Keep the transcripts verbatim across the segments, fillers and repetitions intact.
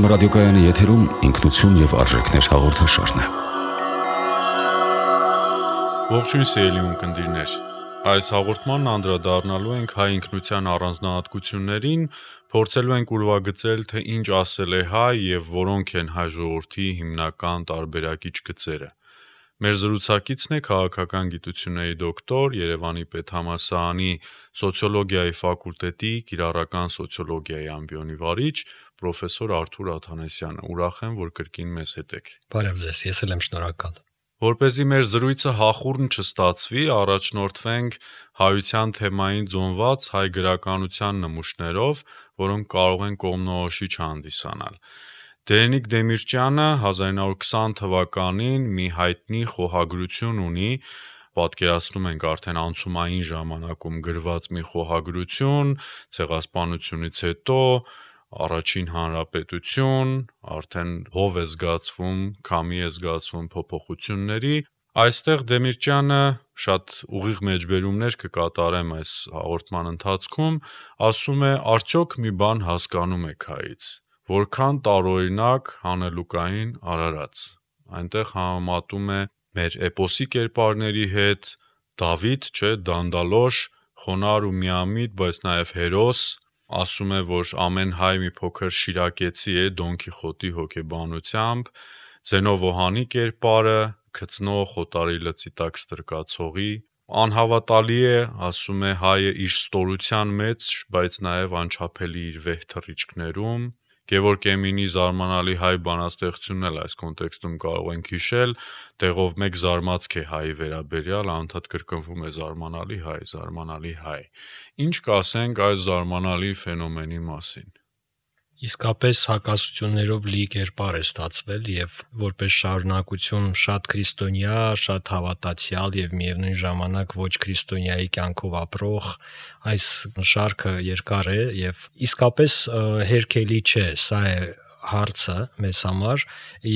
Երգորիա ռադիոկայանի եթերում ինքնություն եւ արժեքներ հաղորդաշարն է։ Ողջույն սիրելի ունկնդիրներ։ Այս հաղորդմանն անդրադառնալու ենք հայ ինքնության առանձնահատկություններին, փորձելու ենք ուրվագծել, թե ինչ ասել է հայ եւ որոնք են հայ ժողովրդի հիմնական տարբերակիչ գծերը։ Մեր զրուցակիցն է քաղաքական գիտությունների դոկտոր, Երևանի պետհամալսարանի սոցիոլոգիայի ֆակուլտետի կիրառական սոցիոլոգիայի ամբիոնի վարիչ պրոֆեսոր Արթուր Աթանեսյանը։ Ուրախ եմ, որ կրկին մեզ հետ եք։ Բարև ձեզ, ես էլ եմ շնորհակալ։ Որպեսզի մեր զրույցը հախուռն չստացվի, առաջնորդվենք հայության թեմային ձոնված հայ գրականության նմուշներով, որոնք կարող են կողմնորոշիչ հանդիսանալ։ Դերենիկ Դեմիրճյանը հազար ինը հարյուր քսան թվականին մի հայտնի խոհագրություն ունի, պատկերացնում ենք արդեն անցումային ժամանակում գրված մի խոհագրություն, ցեղասպանությունից հետո Առաջին հանրապետություն, արդեն հով է զգացվում, քամի է զգացվում փոփոխությունների։ Այստեղ Դեմիրճյանը շատ ուղիղ մեջբերումներ կկատարեմ այս հաղորդման ընթացքում, ասում է, արդյոք մի բան հասկանում եք հայից, որքան տարօրինակ հանելուկային արարած։ Այնտեղ համեմատում է մեր էպոսի կերպարների հետ, Դավիթ, չէ, դանդալոշ, խոնարհ ու միամիտ, բայց նաև հերոս, ասում է, որ ամեն հայ մի փոքր շիրակեցի է Դոն Քիխոտի հոգեբանությամբ, Զենովոհանի կերպարը, քծնող օտարի լծի տակ ստրկացողի, անհավատալի է, ասում է, հայը իր ստորության մեջ, բայց նաև անչափելի իր վեհ թռիչքներում, Գևորգ Էմինի զարմանալի հայ բանաստեղծությունն էլ այս կոնտեքստում կարող ենք հիշել, տեղով մեկ զարմացք է հայի վերաբերյալ, անդադ կրկնվում է զարմանալի հայ, զարմանալի հայ։ Ինչ կասենք այս զարմանալի ֆենոմենի մասին։ Իսկապես հակասություններով լի կերպար է ստացվել եւ որպես շարունակություն շատ քրիստոնյա, շատ հավատացյալ եւ միևնույն ժամանակ ոչ քրիստոնյայի կյանքով ապրող այս շարքը երկար է եւ իսկապես հերքելի չէ, սա է հարցը մեզ համար,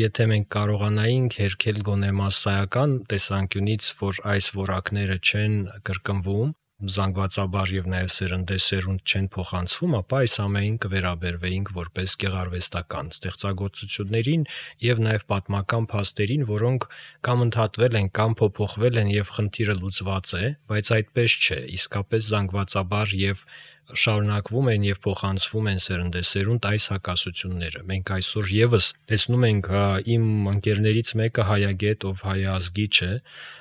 եթե մենք կարողանայինք հերքել գոնե մասսայական տեսանկյունից, որ այս որակները չեն կրկնվում, զանգվածաբար եւ նաեւ սերնդեսերունդ չեն փոխանցվում, ապա այս ամենին կվերաբերվեինք որպես գեղարվեստական ստեղծագործություններին եւ նաեւ պատմական փաստերին, որոնք կամ ընդհատվել են, կամ փոփոխվել են եւ խնդիրը լուծված է, բայց այդպես չէ, իսկապես զանգվածաբար եւ շարունակվում են եւ փոխանցվում են սերնդեսերունդ այս հակասությունները։ Մենք այսօր եւս տեսնում ենք իմ ընկերներից մեկը հայագետ, ով հայազգի չէ,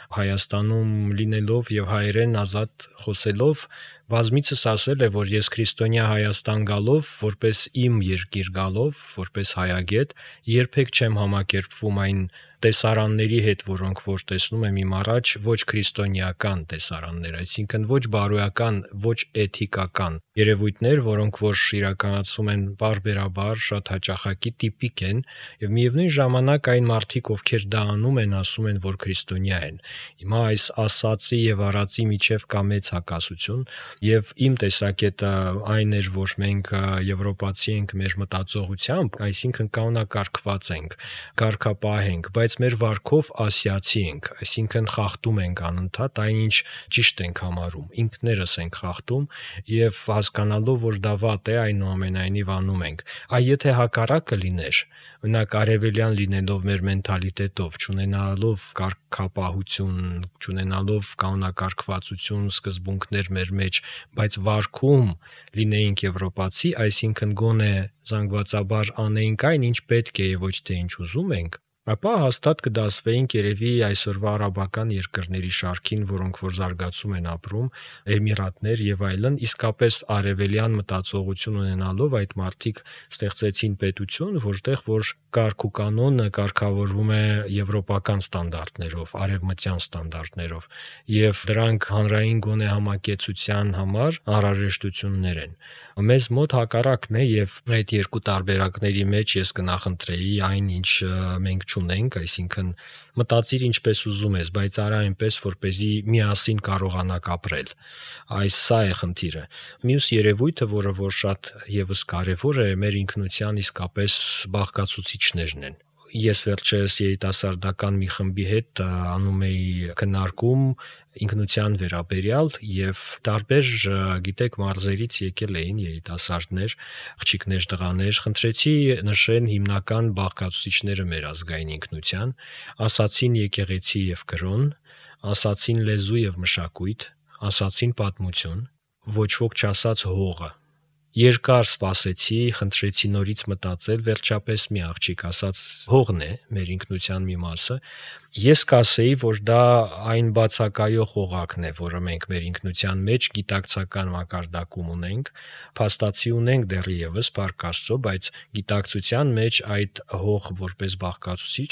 Հայաստանում լինելով եւ հայերեն ազատ խոսելով բազմիցս ասել է, որ ես քրիստոնյա Հայաստան գալով, որպես իմ երկիր գալով, որպես հայագետ, երբեք չեմ համակերպվում այն տեսարանների հետ, որոնք որ տեսնում եմ իմ առաջ, ոչ քրիստոնեական տեսարաններ, այսինքն ոչ բարոյական, ոչ էթիկական երևույթներ, որոնք որ իրականացում են բարբերաբար, շատ հաճախակի տիպիկ են, եւ միևնույն ժամանակ այն մարդիկ, ովքեր դա անում են, ասում են, որ քրիստոնյա են։ Հիմա այս ասացի եւ արածի միջև կա մեծ հակասություն, եւ իմ տեսակետը այն էր, որ մենք եվրոպացի ենք մեր մտածողությամբ, այսինքն կանոնակարգված ենք, կարգապահ ենք, բայց մեր վարքով ասիացի ենք, այսինքն խախտում ենք անընդհատ այնինչ ճիշտ ենք համարում, ինքներս ենք խախտում եւ հասկանալով, որ դա վատ է, այնուամենայնիվ անում ենք։ Այ եթե հակառակը լիներ, օրինակ արևելյան լինելով մեր մենթալիտետով, չունենալով կարգապահություն, չունենալով կանոնակարգվածություն, սկզբունքներ մեր մեջ, բայց վարքում լինեինք եվրոպացի, այսինքն գոնե զանգվածաբար անեինք այն, ինչ պետք է եւ ոչ թե ինչ ուզում ենք, ապա հաստատ կդասվեինք երևի այսօրվա արաբական երկրների շարքին, որոնք որ զարգացում են ապրում, Էմիրատներ եւ այլն, իսկապես արևելյան մտածողություն ունենալով այդ մարդիկ ստեղծեցին պետություն, որտեղ որ կարգ ու կանոնը կարգավորվում է եվրոպական ստանդարտներով, արևմտյան ստանդարտներով, եւ դրանք հանրային գոնե համակեցության համար անհրաժեշտություններ են։ Մեզ մոտ հակառակն է եւ այդ երկու տարբերակների մեջ ես կնախընտրեի այն, ինչ մենք չունենք, այսինքն մտածիր ինչպես ուզում ես, բայց արա այնպես, որպեսզի միասին կարողանաք ապրել։ Այս սա է խնդիրը։ Մյուս երևույթը, որը որ շատ եւս կարեւոր է, մեր ինքնության իսկապես բաղկացուցիչներն են։ ես վերջերս երիտասարդական մի խմբի հետ անում էի քննարկում ինքնության վերաբերյալ եւ տարբեր գիտեք մարզերից եկել էին երիտասարդներ, աղջիկներ, տղաներ, խնդրեցի նշեն հիմնական բաղկացուցիչները մեր ազգային ինքնության, ասացին եկեղեցի եւ կրոն, ասացին լեզու եւ մշակույթ, ասացին պատմություն, ոչ ոք չասաց հողը։ Երկար սպասեցի, խնդրեցի նորից մտածել, վերջապես մի աղջիկ ասաց հողն է մեր ինքնության մի մասը։ Ես կասեի, որ դա այն բացակայող օղակն է, որը մենք մեր ինքնության մեջ գիտակցական մակարդակում ունենք, փաստացի ունենք դեռևս Փառք Աստծո, բայց գիտակցության մեջ այդ հող որպես բաղկացուցիչ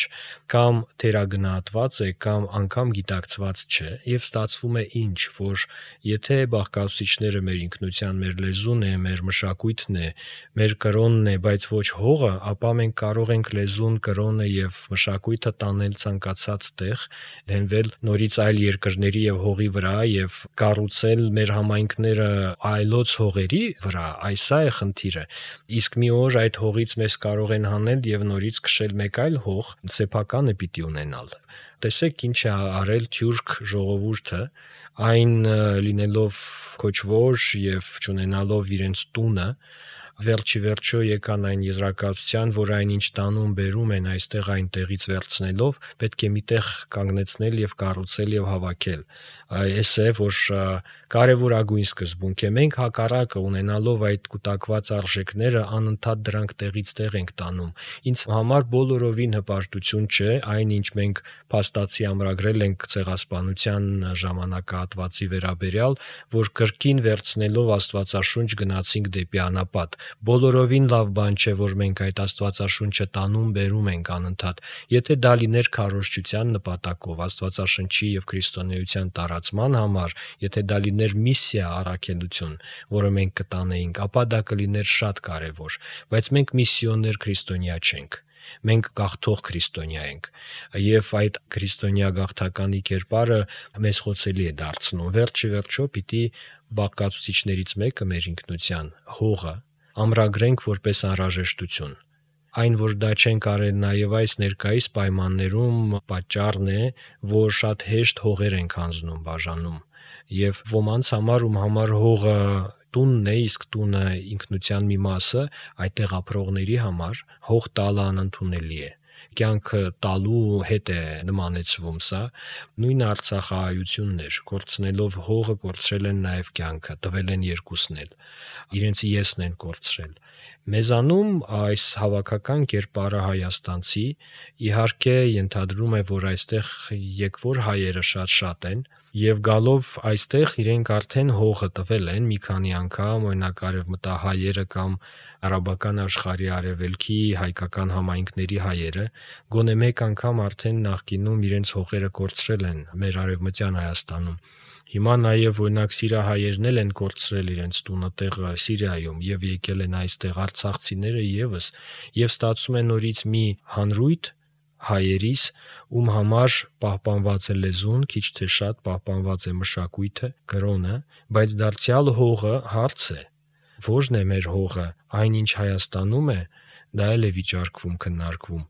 կամ թերագնահատված է, կամ անգամ գիտակցված չէ, եւ ստացվում է ինչ, որ եթե բաղկացուցիչները մեր ինքնության, մեր լեզուն է, մեր մշակույթն է, մեր կրոնն է, բայց ոչ հողը, ապա մենք կարող ենք լեզուն, կրոնը եւ մշակույթը տանել ցանկացած տեղ, դենվել նորից այլ երկրների եւ հողի վրա եւ կառուցել մեր համայնքները այլոց հողերի վրա, այս է խնդիրը։ Իսկ մի օր այդ հողից մեզ կարող են հանել եւ նորից քշել մեկ այլ հող, սեփականը պիտի ունենալ։ Տեսեք ինչ է արել թյուրք ժողովուրդը, այն լինելով քոչվոր եւ չունենալով իրենց տունը, վերջի վերջո եկան այն եզրակացության, որ այն ինչ տանում բերում են այստեղ այնտեղից վերցնելով, պետք է միտեղ կանգնեցնել եւ կառուցել եւ հավաքել։ Այս է, որ կարևորագույն սկզբունք է։ Մենք հակառակը ունենալով այդ կուտակված արժեքները անընդհատ դրանք տեղից տեղ ենք տանում։ Ինձ համար բոլորովին հպարտություն չէ այն, ինչ մենք փաստացի ամրագրել ենք ցեղասպանության ժամանակահատվածի վերաբերյալ, որ կրկին վերցնելով Աստվածաշունչ գնացինք դեպի անապատ։ Բոլորովին լավ բան չէ, որ մենք այդ Աստվածաշունչը տանում բերում ենք անընդհատ։ Եթե դա լիներ քարոզչության նպատակով, Աստվածաշնչի եւ քրիստոնեության տարածման համար, եթե դա լիներ միսիա առաքելություն, որը մենք կտանեինք, ապա դա կլիներ շատ կարևոր, բայց մենք միսիոներ քրիստոնյա չենք։ Մենք գաղթող քրիստոնյա ենք եւ այդ քրիստոնյա գաղթականի կերպարը մեզ խոցելի է դարձնում։ Վերջի վերջո պիտի բաղկացուցիչներից մեկը մեր ինքնության հողը ամրագրենք որպես անհրաժեշտություն։ Այն, որ դա չենք արել նաև այս ներկայիս պայմաններում, պատճառն է, որ շատ հեշտ հողեր ենք հանձնում, բաժանում, եւ ոմանց համար, ում համար հողը տունն է, իսկ տունը ինքնության մի մասը, այդտեղ ապրողների համար հող տալը անընդունելի է։ Կյանքը տալու հետ է նմանեցվում սա, նույն արցախահայությունն էր, կորցնելով հողը կորցրել են նաև կյանքը, տվել են երկուսն էլ, իրենց եսն են կորցրել։ Մեզանում այս հավաքական կերպարը հայաստանցի, իհարկե ենթադրում է, որ այստեղ եկվոր հայերը շատ-շատ են, եւ գալով այստեղ իրենք արդեն հողը տվել են մի քանի անգամ, օրինակ արևմտահայերը կամ արաբական աշխարհի արևելքի հայկական համայնքների հայերը, գոնե մեկ անգամ արդեն նախկինում իրենց հողերը կորցրել են մեր արևմտյան Հայաստանում։ Հիմա նաև օրինակ սիրահայերն էլ են կորցրել իրենց տունը տեղը Սիրիայում եւ եկել են այստեղ արցախցիները եւս, եւ ստացում են նորից մի հանրույթ հայերիս, ում համար պահպանված է լեզուն, քիչ թե շատ պահպանված է մշակույթը, կրոնը, բայց դարձյալ հողը հարց է։ Ո՞րն է մեր հողը, այն ինչ Հայաստանում է, դա էլ է վիճարկվում, քննարկվում։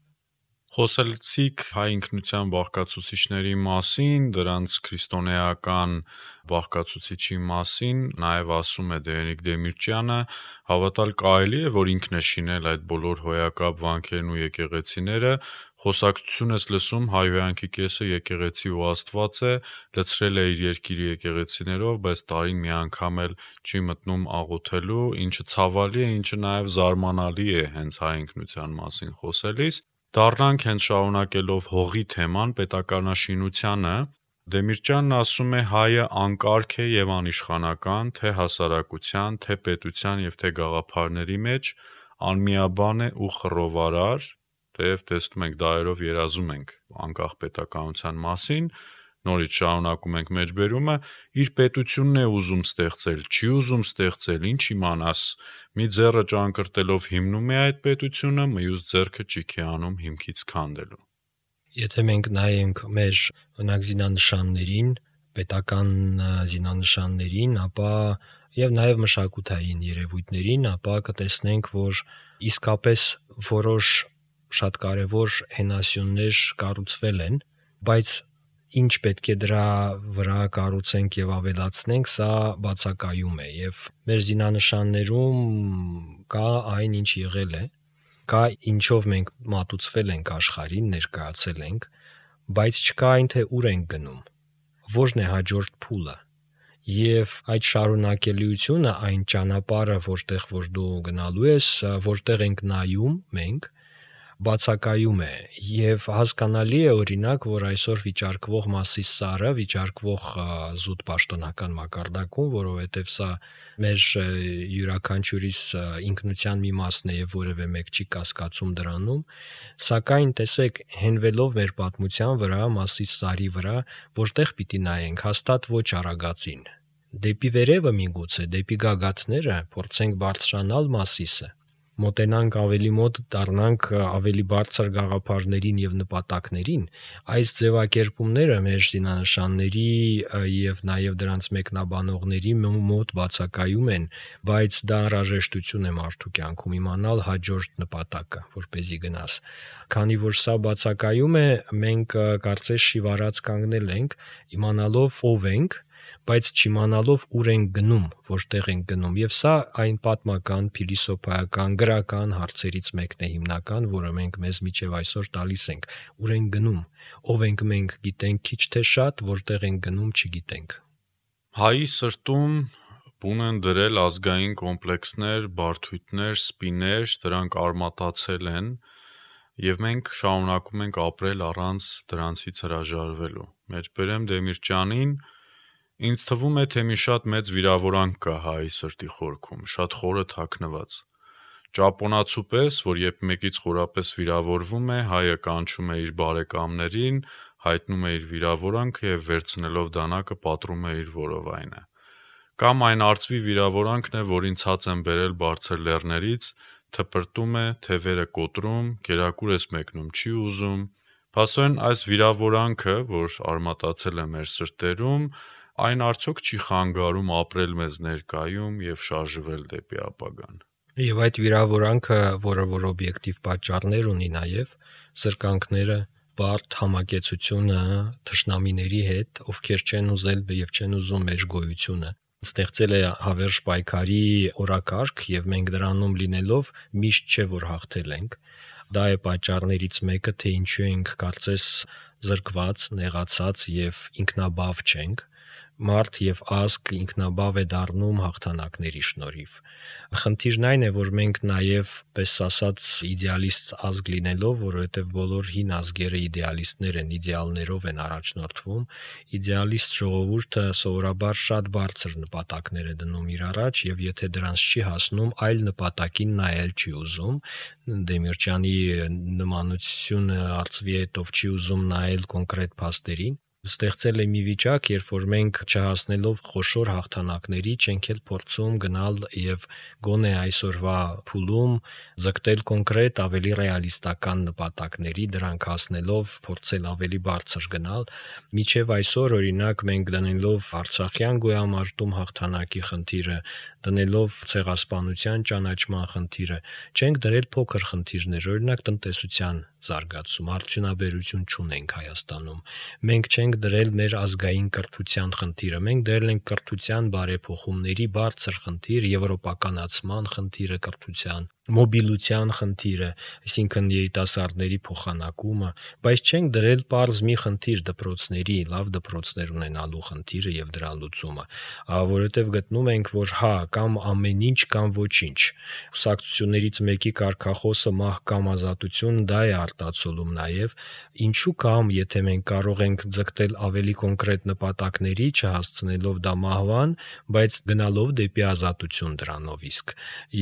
Խոսեցիք հայ ինքնության բաղկացուցիչների մասին, դրանց քրիստոնեական բաղկացուցիչի մասին, նաև ասում է Դերենիկ Դեմիրճյանը, հավատալ կարելի է, որ ինքն է շինել այդ բոլոր հոյակապ վանքերն ու եկեղեցիները, խոսակցություն ես լսում հայհոյանքի կեսը եկեղեցի ու Աստված է, լցրել է իր երկիրի եկեղեցիներով, բայց տարին մի անգամ էլ չի մտնում աղոթելու, ինչը ցավալի է, ինչը նաև զարմանալի է հենց հայ ինքնության մասին խոսելիս։ Դառնանք հենց շարունակելով հողի թեման պետականաշինությանը, Դեմիրճյանն ասում է հայը անկարգ է եւ անիշխանական, թե հասարակության, թե պետության եւ թե գաղափարների մեջ, անմիաբան է ու խռովարար, թեև տեսնում ենք դայերով երազում ենք անկախ պետականության մասին, նորից շարունակում ենք մեջբերումը, իր պետությունն է ուզում ստեղծել, չի ուզում ստեղծել, ինչ իմանաս, մի ձեռը ճանկրտելով հիմնում է այդ պետությունը, մյուս ձեռքը ճիք է անում հիմքից քանդելու։ Եթե մենք նայենք մեր օրինակ զինանշաններին, պետական զինանշաններին, ապա եւ նաեւ մշակութային երևույթներին, ապա կտեսնենք, որ իսկապես որոշ շատ կարևոր հենասյուններ կառուցվել են, բայց ինչ պետք է դրա վրա կառուցենք եւ ավելացնենք, սա բացակայում է եւ մեր զինանշաններում կա այն, ինչ եղել է, կա ինչով մենք մատուցվել ենք աշխարհին, ներկայացել ենք, բայց չկա այն, թե ուր ենք գնում, ո՞րն է հաջորդ փուլը։ Եվ այդ շարունակելիությունը, այն ճանապարհը, որտեղ որ դու գնալու ես, որտեղ ենք նայում մենք, բացակայում է եւ հասկանալի է օրինակ, որ այսօր վիճարկվող Մասիս սարը, վիճարկվող զուտ պաշտոնական մակարդակում, որովհետեւ սա մեր յուրաքանչյուրիս ինքնության մի մասն է եւ որևէ մեկ չի կասկածում դրանում, սակայն տեսեք, հենվելով մեր պատմության վրա, Մասիս սարի վրա, որտեղ պիտի նայենք, հաստատ ոչ արագածին։ Դեպի վերևը միգուցե, դեպի գագաթները փորձենք բարձրանալ Մասիսը, մոտենանք ավելի մոտ, դառնանք ավելի բարձր գաղափարներին եւ նպատակներին, այս ձևակերպումները մեր զինանշանների եւ նաեւ դրանց մեկնաբանողների մոտ բացակայում են, բայց դա անհրաժեշտություն է մարդու կյանքում իմանալ հաջորդ նպատակը, որպեսզի գնաս։ Քանի որ սա բացակայում է, մենք կարծես շիվարած կանգնել ենք, իմանալով ով ենք, բայց չիմանալով ուր ենք գնում, որտեղ ենք գնում, եւ սա այն պատմական, փիլիսոփայական, գրական հարցերից մեկն է հիմնական, որը մենք մեզ միջև այսօր տալիս ենք, ուր ենք գնում, ով ենք մենք, գիտենք քիչ թե շատ, որտեղ ենք գնում, չգիտենք։ Հայի սրտում բուն են դրել ազգային կոմպլեքսներ, բարդույթներ, սպիներ, դրանք արմատացել են, եւ մենք շարունակում ենք ապրել առանց դրանցից հրաժարվելու։ Մեջբերեմ Դեմիրճյանին, ինձ թվում է, թե մի շատ մեծ վիրավորանք կա հայի սրտի խորքում, շատ խորը թաքնված։ Ճապոնացու պես, որ երբ մեկից խորապես վիրավորվում է, հայը կանչում է իր բարեկամներին, հայտնում է իր վիրավորանքը եւ վերցնելով դանակը պատռում է իր որովայնը։ Կամ այն արծվի վիրավորանքն է, որին ցած են բերել բարձր լեռներից, թպրտում է, թևերը կոտրում, գերակուր ես մեկնում չի ուզում։ Փաստորեն այս վիրավորանքը, որ արմատացել է մեր սրտերում, այն արդյոք չի խանգարում ապրել մեզ ներկայում եւ շարժվել դեպի ապագան։ Եվ այդ վիրավորանքը, որը որ օբյեկտիվ պատճառներ ունի նաեւ, սրկանքները, բարդ համակեցությունը թշնամիների հետ, ովքեր չեն ուզել եւ չեն ուզում մեր գոյությունը, ստեղծել է հավերժ պայքարի օրակարգ եւ մենք դրանում լինելով միշտ չէ որ հաղթել ենք։ Դա է պատճառներից մեկը, թե ինչու ենք կարծես զրկված, նեղացած եւ ինքնաբավ չենք։ Մարդ եւ ազգ ինքնաբավ է դառնում հաղթանակների շնորհիվ։ Խնդիրն այն է, որ մենք նաեւ, պես ասած, իդեալիստ ազգ լինելով, որովհետեւ բոլոր հին ազգերը իդեալիստներ են, իդեալներով են առաջնորդվում, իդեալիստ ժողովուրդը սովորաբար շատ բարձր նպատակներ է դնում իր առաջ եւ եթե դրանց չի հասնում, այլ նպատակին նայել չի ուզում։ Դեմիրճյանի նմանությունը արծվի հետով չի ուզում նայել կոնկրետ փաստերին։ Ստեղծել է մի վիճակ, երբ որ մենք չհասնելով խոշոր հաղթանակների չենք էլ փորձում գնալ եւ գոնե այսօրվա փուլում ձգտել կոնկրետ ավելի ռեալիստական նպատակների, դրանք հասնելով փորձել ավելի բարձր գնալ։ Միջև այսօր օրինակ մենք դնելով Արցախյան գոյամարտում հաղթանակի խնդիրը, դնելով ցեղասպանության ճանաչման խնդիրը, չենք դրել փոքր խնդիրներ, օրինակ տնտեսության զարգացում, արդյունաբերություն չունենք Հայաստանում։ Մենք չենք դրել մեր ազգային կրթության խնդիրը, մենք դրել ենք կրթության բարեփոխումների բարձր խնդիր, եվրոպականացման խնդիրը կրթության, մոբիլության խնդիրը, այսինքն երիտասարդների փոխանակումը, բայց չենք դրել պարզ մի խնդիր դպրոցների, լավ դպրոցներ ունենալու խնդիրը եւ դրա լուծումը, որովհետեւ գտնում ենք, որ հա, կամ ամեն ինչ, կամ ոչինչ։ Կուսակցություններից մեկի կարգախոսը մահ կամ ազատություն, դա է արտացոլում նաեւ, ինչու կամ, եթե մենք կարող ենք ձգտել ավելի կոնկրետ նպատակների, չհասցնելով դա մահվան, բայց գնալով դեպի ազատություն դրանով իսկ։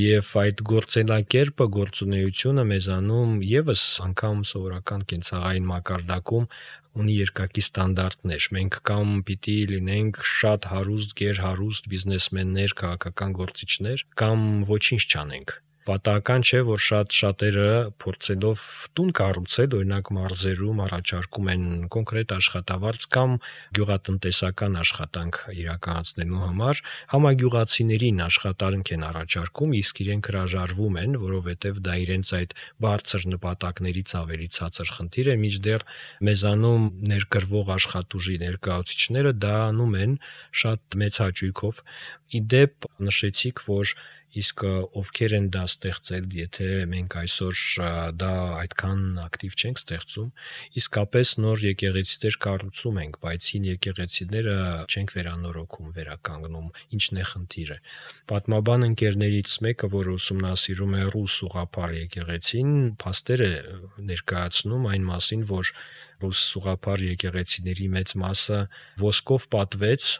Եվ այդ գործելակերպը, գործունեությունը մեզանում եւս անգամ սովորական կենցաղային մակարդակում ունի երկակի ստանդարտներ։ Մենք կամ պիտի լինենք շատ հարուստ, գերհարուստ բիզնեսմեններ, քաղաքական գործիչներ, կամ ոչինչ չանենք։ Պատահական չէ, որ շատ շատերը փորձելով տուն կառուցել, օրինակ մարզերում առաջարկում են կոնկրետ աշխատավարձ կամ գյուղատնտեսական աշխատանք իրականացնելու համար, համագյուղացիներին աշխատանք են առաջարկում, իսկ իրենք հրաժարվում են, որովհետև դա իրենց այդ բարձր նպատակներից ավելի ցածր խնդիր է, մինչդեռ մեզանում ներգրվող աշխատուժի ներկայացուցիչները դա անում են շատ մեծ հաճույքով։ Իդեպ նշեցիք, որ իսկ ովքեր են դա ստեղծել, եթե մենք այսօր դա այդքան ակտիվ չենք ստեղծում, իսկապես նոր եկեղեցիներ կառուցում ենք, բայց հին եկեղեցիները չենք վերանորոգում, վերականգնում, ինչն է խնդիրը։ Պատմաբան ընկերներից մեկը, որ ուսումնասիրում է ռուս ուղղափառ եկեղեցին, փաստեր է ներկայացնում այն մասին, որ ռուս ուղղափառ եկեղեցիների մեծ մասը ոսկով պատվեց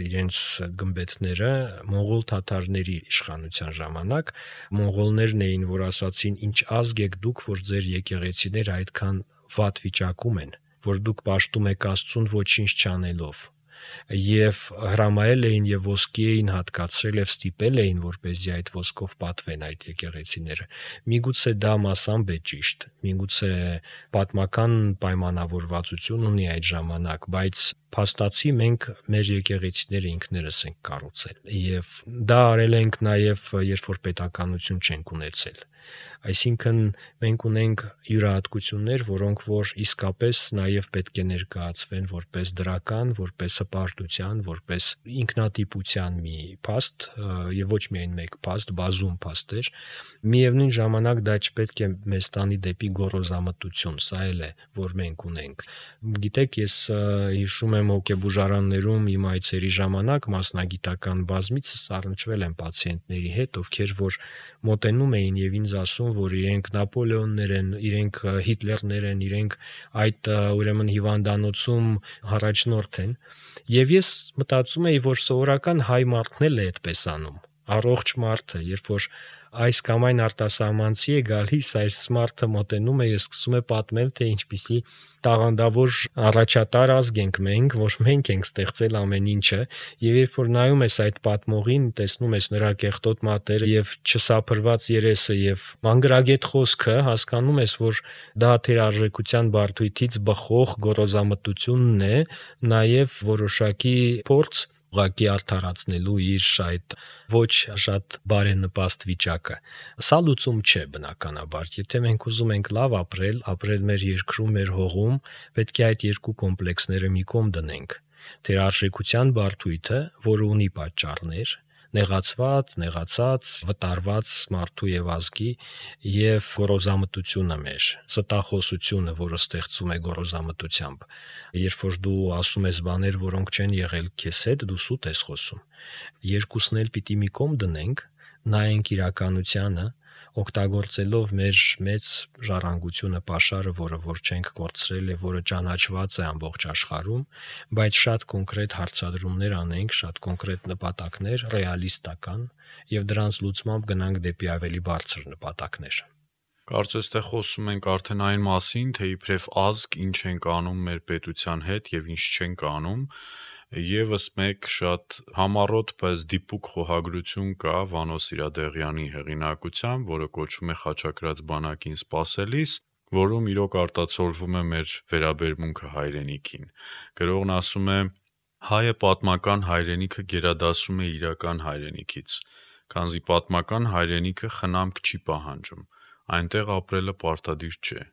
իրենց գմբեթները մոնղոլ թաթարների իշխանության ժամանակ, մոնղոլներն էին, որ ասացին, ինչ ազգ եք դուք, որ ձեր եկեղեցիները այդքան վատ վիճակում են, որ դուք պաշտում եք Աստծուն ոչինչ չանելով, եւ հրամայել էին եւ ոսկի էին հատկացրել եւ ստիպել էին, որպեսզի այդ ոսկով պատվեն այդ եկեղեցիները։ Միգուցե դա մասամբ է ճիշտ, միգուցե պատմական պայմանավորվածություն ունի այդ ժամանակ, բայց փաստացի մենք մեր եկեղեցիները ինքներս ենք կառուցել եւ դա արել ենք նաեւ երբ որ պետականություն չենք ունեցել, այսինքն մենք ունենք յուրահատկություններ, որոնք որ իսկապես նաեւ պետք է ներկայացվեն որպես դրական, որպես հպարտության, որպես ինքնատիպության մի փաստ եւ ոչ միայն մեկ փաստ, բազում փաստեր, միևնույն ժամանակ դա չպետք է մեզ տանի դեպի գոռոզամտություն, սա էլ է, որ մենք ունենք։ Գիտեք, ես հիշում եմ հոգեբուժարաններում իմ այցերի ժամանակ մասնագիտական բազմիցս առնչվել եմ պացիենտների հետ, ովքեր որ մոտենում էին եւ ինձ ասում, որ իրենք Նապոլեոններ են, իրենք Հիտլերներ են, իրենք այդ ուրեմն հիվանդանոցում առաջնորդ են, եւ ես մտածում էի, որ սովորական հայ մարդն էլ է այդպես անում, առողջ մարդը, երբ որ այս կամ այն արտասահմանցի է գալիս, այս մարդը մոտենում է, ես սկսում է պատմել, թե ինչպիսի տաղանդավոր առաջատար ազգ ենք մենք, որ մենք ենք ստեղծել ամեն ինչը, եւ երբ որ նայում ես այդ պատմողին, տեսնում ես նրա կեղտոտ մատերը եւ չսափրված երեսը եւ մանգրագետ խոսքը, հասկանում ես, որ դա թերարժեքության բարդույթից բխող գոռոզամտությունն է, նաեւ որոշակի փորձ ուղղակի արդարացնելու իր այդ ոչ շատ բարենպաստ վիճակը։ Սա լուծում չէ բնականաբար։ Եթե մենք ուզում ենք լավ ապրել, ապրել մեր երկրում, մեր հողում, պետք է այդ երկու կոմպլեքսները մի կողմ դնենք։ Թերարժեքության բարդույթը, որը ունի պատճառներ, նեղացված, նեղացած, վտարված մարդու եւ ազգի եւ գոռոզամտությունը մեր, ստախոսությունը, որը ստեղծում է գոռոզամտությամբ։ Երբ որ դու ասում ես բաներ, որոնք չեն եղել քեզ հետ, դու սուտ ես խոսում։ Երկուսն էլ պիտի մի կողմ դնենք, նայենք իրականությանը, օգտագործելով մեր մեծ ժառանգությունը, պաշարը, որը որ չենք կորցրել եւ որը ճանաչված է ամբողջ աշխարհում, բայց շատ կոնկրետ հարցադրումներ անենք, շատ կոնկրետ նպատակներ, ռեալիստական, եւ դրանց լուծմամբ գնանք դեպի ավելի բարձր նպատակներ։ Կարծես թե խոսում ենք արդեն այն մասին, թե իբրև ազգ ինչ ենք անում մեր պետության հետ եւ ինչ չենք անում։ Եվս մեկ շատ համառոտ, բայց դիպուկ խոհագրություն կա Վանո Սիրադեղյանի հեղինակությամբ, որը կոչվում է Խաչակրաց բանակին սպասելիս, որում իրոք արտացոլվում է մեր վերաբերմունքը հայրենիքին։ Գրողն ասում է. հայը պատմական հայրենիքը գերադասում է իրական հայրենիքից, քանզի պատմական հայրենիքը խնամք չի պահանջում, այնտեղ ապրելը պարտադիր չէ։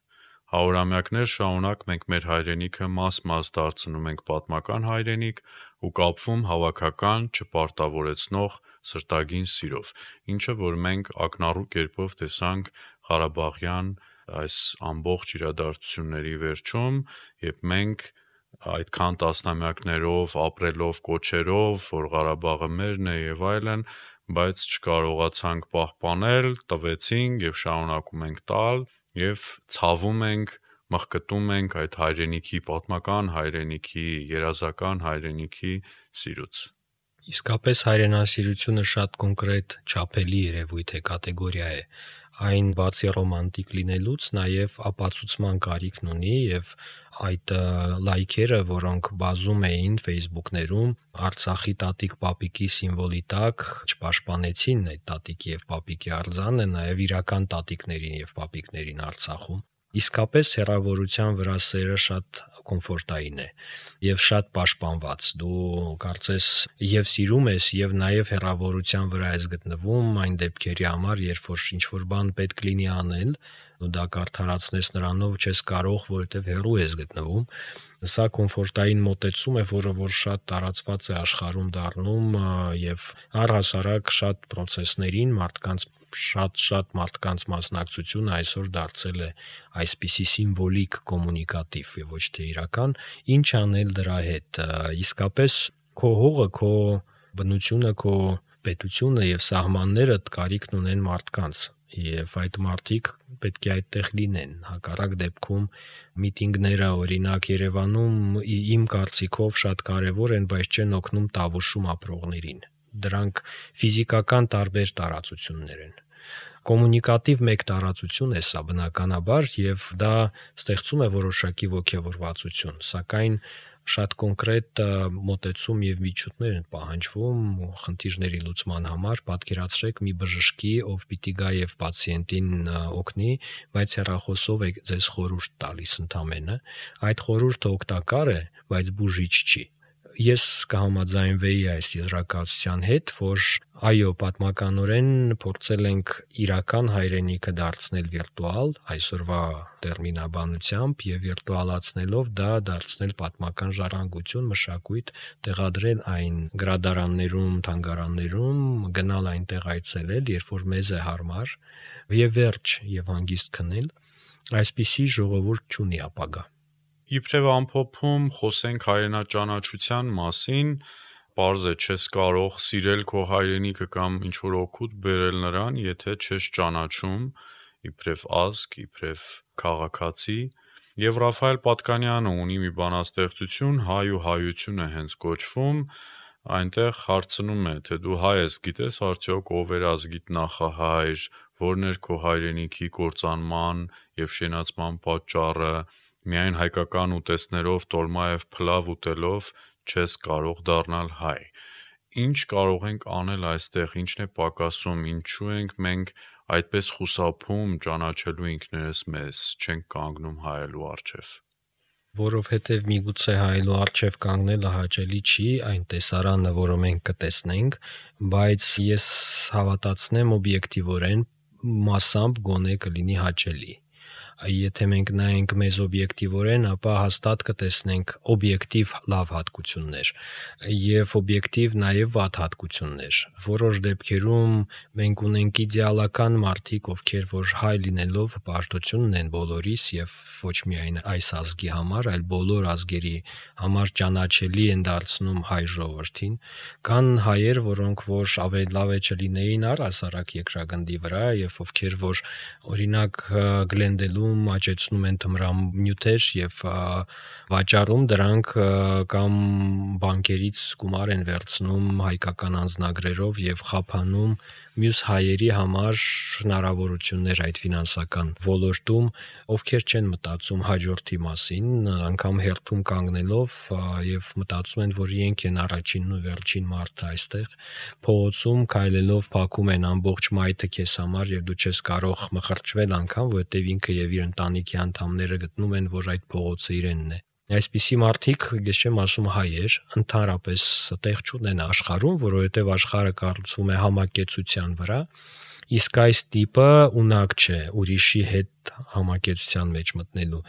Հարյուրամյակներ շարունակ մենք մեր հայրենիքը մաս-մաս դարձնում ենք պատմական հայրենիք ու կապվում հավաքական, չպարտավորեցնող սրտագին սիրով, ինչը որ մենք ակնառու կերպով տեսանք Ղարաբաղյան այս ամբողջ իրադարձությունների վերջում, երբ մենք այդքան տասնամյակներով ապրելով կոչերով, որ Ղարաբաղը մերն է եւ այլն, բայց չկարողացանք պահպանել, տվեցինք եւ շարունակում ենք տալ եւ ցավում ենք, մխկտում ենք այդ հայրենիքի, պատմական հայրենիքի, երազական հայրենիքի սիրուց։ Իսկապես հայրենասիրությունը շատ կոնկրետ, չափելի երևույթ է, կատեգորիա է։ այն բացի ռոմանտիկ լինելուց նաև ապացուցման կարիքն ունի եւ այդ լայքերը, որոնք բազում էին Facebook-ներում Արցախի տատիկ պապիկի սիմվոլի տակ, չպաշտպանեցին այդ տատիկի եւ պապիկի արձանը, նաեւ իրական տատիկներին եւ պապիկներին Արցախում։ Իսկապես հեռավորության վրա սերը շատ կոմֆորտային է եւ շատ պաշտպանված։ Դու կարծես եւ սիրում ես եւ նաեւ հեռավորության վրա ես գտնվում այն դեպքերի համար, երբ որ ինչ-որ բան պետք լինի անել, ու դա կարդարացնես նրանով չես կարող, որովհետեւ հեռու ես գտնվում։ Սա կոմֆորտային մոտեցում է, որը որ շատ տարածված է աշխարհում դառնում եւ առհասարակ շատ process-ներին մարդկանց շատ-շատ մարդկանց մասնակցությունը այսօր դարձել է այսպիսի սիմվոլիկ կոմունիկատիվ եւ ոչ թե իրական, ինչ անել դրա հետ։ Իսկապես քո հողը, քո բնությունը, քո պետությունը եւ սահմաններդ կարիքն ունեն մարդկանց եւ այդ մարդիկ պետք է այդտեղ լինեն։ Հակառակ դեպքում միտինգները օրինակ Երևանում իմ կարծիքով շատ կարեւոր են, բայց չեն օգնում Տավուշում ապրողներին։ Դրանք ֆիզիկական տարբեր տարածություններ են։ Կոմունիկատիվ մեկ տարածություն է սա բնականաբար եւ դա ստեղծում է որոշակի ոգևորվածություն, սակայն շատ կոնկրետ մոտեցում եւ միջոցներ են պահանջվում խնդիրների լուծման համար։ Պատկերացրեք մի բժշկի, ով պիտի գա եւ պացիենտին օգնի, բայց հեռախոսով է ձեզ խորհուրդ տալիս ընդամենը։ Այդ խորհուրդը օգտակար է, բայց բուժիչ չի։ Ես կհամաձայնվեի այս եզրակացության հետ, որ այո, պատմականորեն փորձել ենք իրական հայրենիքը դարձնել վիրտուալ, այսօրվա տերմինաբանությամբ եւ վիրտուալացնելով դա դարձնել պատմական ժառանգություն, մշակույթ, տեղադրել այն գրադարաններում, թանգարաններում, գնալ այնտեղ այցելել, երբ որ մեզ է հարմար, եւ վերջ եւ հանգիստ քնել, այսպիսի ժողովուրդ չունի ապագա։ Իբրև ամփոփում խոսենք հայրենաճանաչության մասին, պարզ է չես կարող սիրել քո հայրենիքը կամ ինչ-որ օգուտ բերել նրան, եթե չես ճանաչում իբրև ազգ, իբրև քաղաքացի, եւ Ռաֆայել Պատկանյանը ունի մի բանաստեղծություն «Հայ ու հայությունը» հենց կոչվում, այնտեղ հարցնում է, թե դու հայ ես, գիտես արդյոք ով էր ազգիդ նախահայր, որն էր քո հայրենիքի կործանման եւ շենացման պատճառը, միայն հայկական ուտեստներով, տոլմա եւ փլավ ուտելով չես կարող դառնալ հայ։ Ինչ կարող ենք անել այստեղ, ինչն է պակասում, ինչու ենք մենք այդպես խուսափում ճանաչելու ինքներս մեզ, չենք կանգնում հայելու առջև։ Որովհետև միգուցե հայելու առջև կանգնելը հաճելի չի, այն տեսարանը, որը մենք կտեսնենք, բայց ես հավատացնեմ օբյեկտիվորեն մասամբ գոնե կլինի հաճելի։ Եթե մենք նայենք մեզ օբյեկտիվորեն, ապա հաստատ կտեսնենք օբյեկտիվ լավ հատկություններ եւ օբյեկտիվ նաեւ վատ հատկություններ։ Որոշ դեպքերում մենք ունենք իդեալական մարդիկ, ովքեր որ հայ լինելով պարտություն ունեն բոլորիս եւ ոչ միայն այս ազգի համար, այլ բոլոր ազգերի համար ճանաչելի են դարձնում հայ ժողովրդին։ Կան հայեր, որոնք որ ավելի լավ է չլինեին առհասարակ երկրագնդի վրա եւ ովքեր որ օրինակ գլենդելու աճեցնում են թմրամյութեր եւ վաճառում դրանք կամ բանկերից գումար են վերցնում հայկական անձնագրերով եւ խափանում մյուս հայերի համար հնարավորություններ այդ ֆինանսական ոլորտում, ովքեր չեն մտածում հաջորդի մասին, անգամ հերթում կանգնելով եւ մտածում են, որ իրենք են առաջինն ու վերջին մարդը այստեղ, փողոցում քայլելով փակում են ամբողջ մայթը քեզ համար եւ դու չես կարող մխրճվել անգամ, որովհետեւ ինքը եւ իր ընտանիքի անդամները գտնում են, որ այդ փողոցը իրենն է։ Այսպիսի մարդիկ, ես չեմ ասում հայեր, ընդհանրապես տեղ չունեն աշխարհում, որովհետև աշխարհը կառուցվում է համակեցության վրա, իսկ այս տիպը ունակ չէ ուրիշի հետ համակեցության մեջ մտնելու։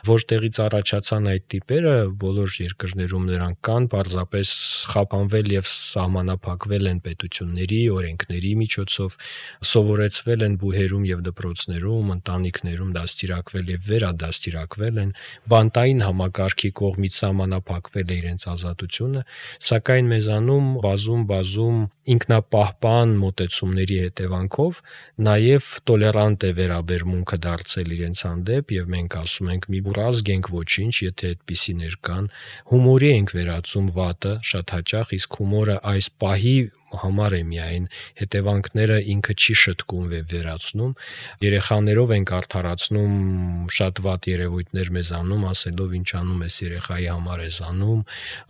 Որտեղից առաջացան այդ տիպերը, բոլոր երկրներում նրանք կան, պարզապես խափանվել եւ սահմանափակվել են պետությունների, օրենքների միջոցով, սովորեցվել են բուհերում եւ դպրոցներում, ընտանիքներում դաստիարակվել եւ վերադաստիարակվել են, բանտային համակարգի կողմից սահմանափակվել է իրենց ազատությունը, սակայն մեզանում բազում-բազում ինքնապահպան մոտեցումների հետևանքով նաեւ տոլերանտ է վերաբերմունքը դարձ ստեղծել իրենց հանդեպ, եւ մենք ասում ենք՝ մի բուր ազգ ենք ոչինչ, եթե այդպիսիներ կան։ Հումորի ենք վերածում վատը շատ հաճախ, իսկ հումորը այս պահի համար է միայն, հետևանքները ինքը չի շտկում եւ վերացնում։ Երեխաներով ենք արդարացնում շատ վատ երևույթներ մեզանում, ասելով ինչ անում ես երեխայի համար ես անում։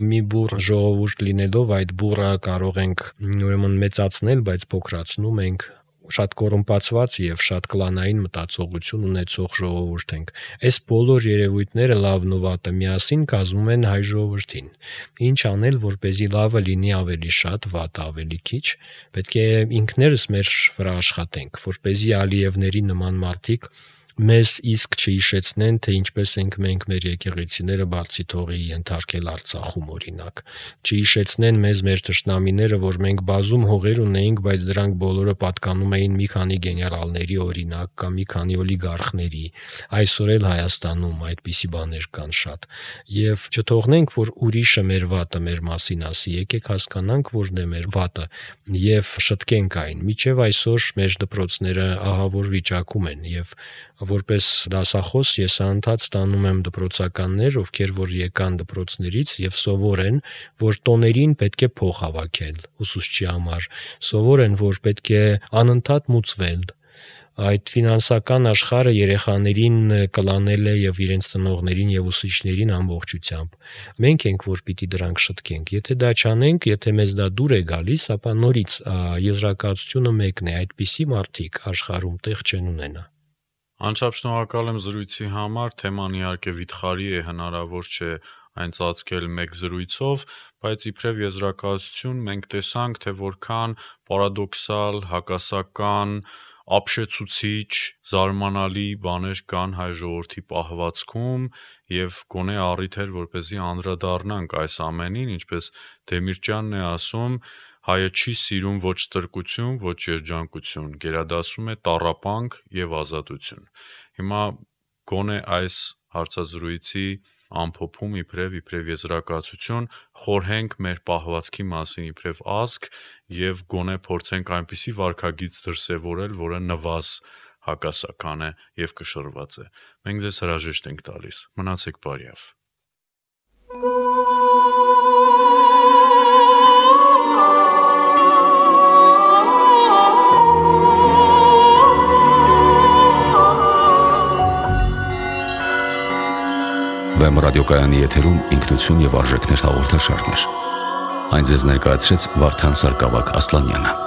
Մի բուռ ժողովուրդ լինելով այդ բուռը կարող ենք ուրեմն մեծացնել, բայց փոքրացնում ենք։ Շատ կոռումպացված եւ շատ կլանային մտածողություն ունեցող ժողովուրդ ենք։ Այս բոլոր երևույթները լավն ու վատը միասին կազմում են հայ ժողովրդին։ Ինչ անել, որպեսզի լավը լինի ավելի շատ, վատը ավելի քիչ։ Պետք է ինքներս մեր վրա աշխատենք, որպեսզի Ալիևների նման մարդիկ մեզ իսկ չհիշեցնեն, թե ինչպես ենք մենք մեր եկեղեցիները բարձի թողի ենթարկել Արցախում օրինակ։ Չհիշեցնեն մեզ մեր թշնամիները, որ մենք բազում հողեր ունեինք, բայց դրանք բոլորը պատկանում էին մի քանի գեներալների օրինակ կամ մի քանի օլիգարխների։ Այսօր էլ Հայաստանում այդպիսի բաներ կան շատ։ Եվ չթողնենք, որ ուրիշը մեր վատը մեր մասին ասի, եկեք հասկանանք, որն է մեր վատը եւ շտկենք այն։ Մինչեւ այսօր մեր դպրոցները ահավոր վիճակում են եւ որպես դասախոս ես անդադ ստանում եմ դպրոցականներ, ովքեր որ եկան դպրոցներից եւ սովոր են, որ տոներին պետք է փող հավաքել ուսուցչի համար, սովոր են, որ պետք է անընդհատ մուծվել։ Այդ ֆինանսական աշխարհը երեխաներին կլանել է եւ իրենց ծնողներին եւ ուսուցիչներին ամբողջությամբ։ Մենք ենք, որ պիտի դրանք շտկենք։ Եթե դա չանենք, եթե մեզ դա դուր է գալիս, ապա նորից եզրակացությունը մեկն է, այդպիսի մարդիկ աշխարհում տեղ չեն ունենա։ Անչափ շնորհակալ եմ զրույցի համար, թեման իհարկե վիթխարի է, հնարավոր չէ այն ծածկել մեկ զրույցով, բայց իբրև եզրակացություն մենք տեսանք, թե որքան պարադոքսալ, հակասական, ապշեցուցիչ, զարմանալի բաներ կան հայ ժողովրդի պահվածքում եւ գոնե առիթ էր, որպեսզի անդրադառնանք այս ամենին, ինչպես Դեմիրճյանն է ասում, հայը չի սիրում ոչ ստրկություն, ոչ երջանկություն, գերադասում է տառապանք եւ ազատություն։ Հիմա գոնե այս հարցազրույցի ամփոփում իբրև իբրև եզրակացություն խորհենք մեր պահվածքի մասին իբրև ազգ եւ գոնե փորձենք այնպիսի վարքագիծ դրսեւորել, որը նվազ հակասական է եւ կշռված է։ Մենք ձեզ հրաժեշտ ենք տալիս։ Մնացեք բարյավ։ Վեմ ռադիոկայանի եթերում ինքնություն եւ արժեքներ հաղորդաշարներ։ Այն ձեզ ներկայացրեց Վարդան Սարգսակ Ասլանյանը։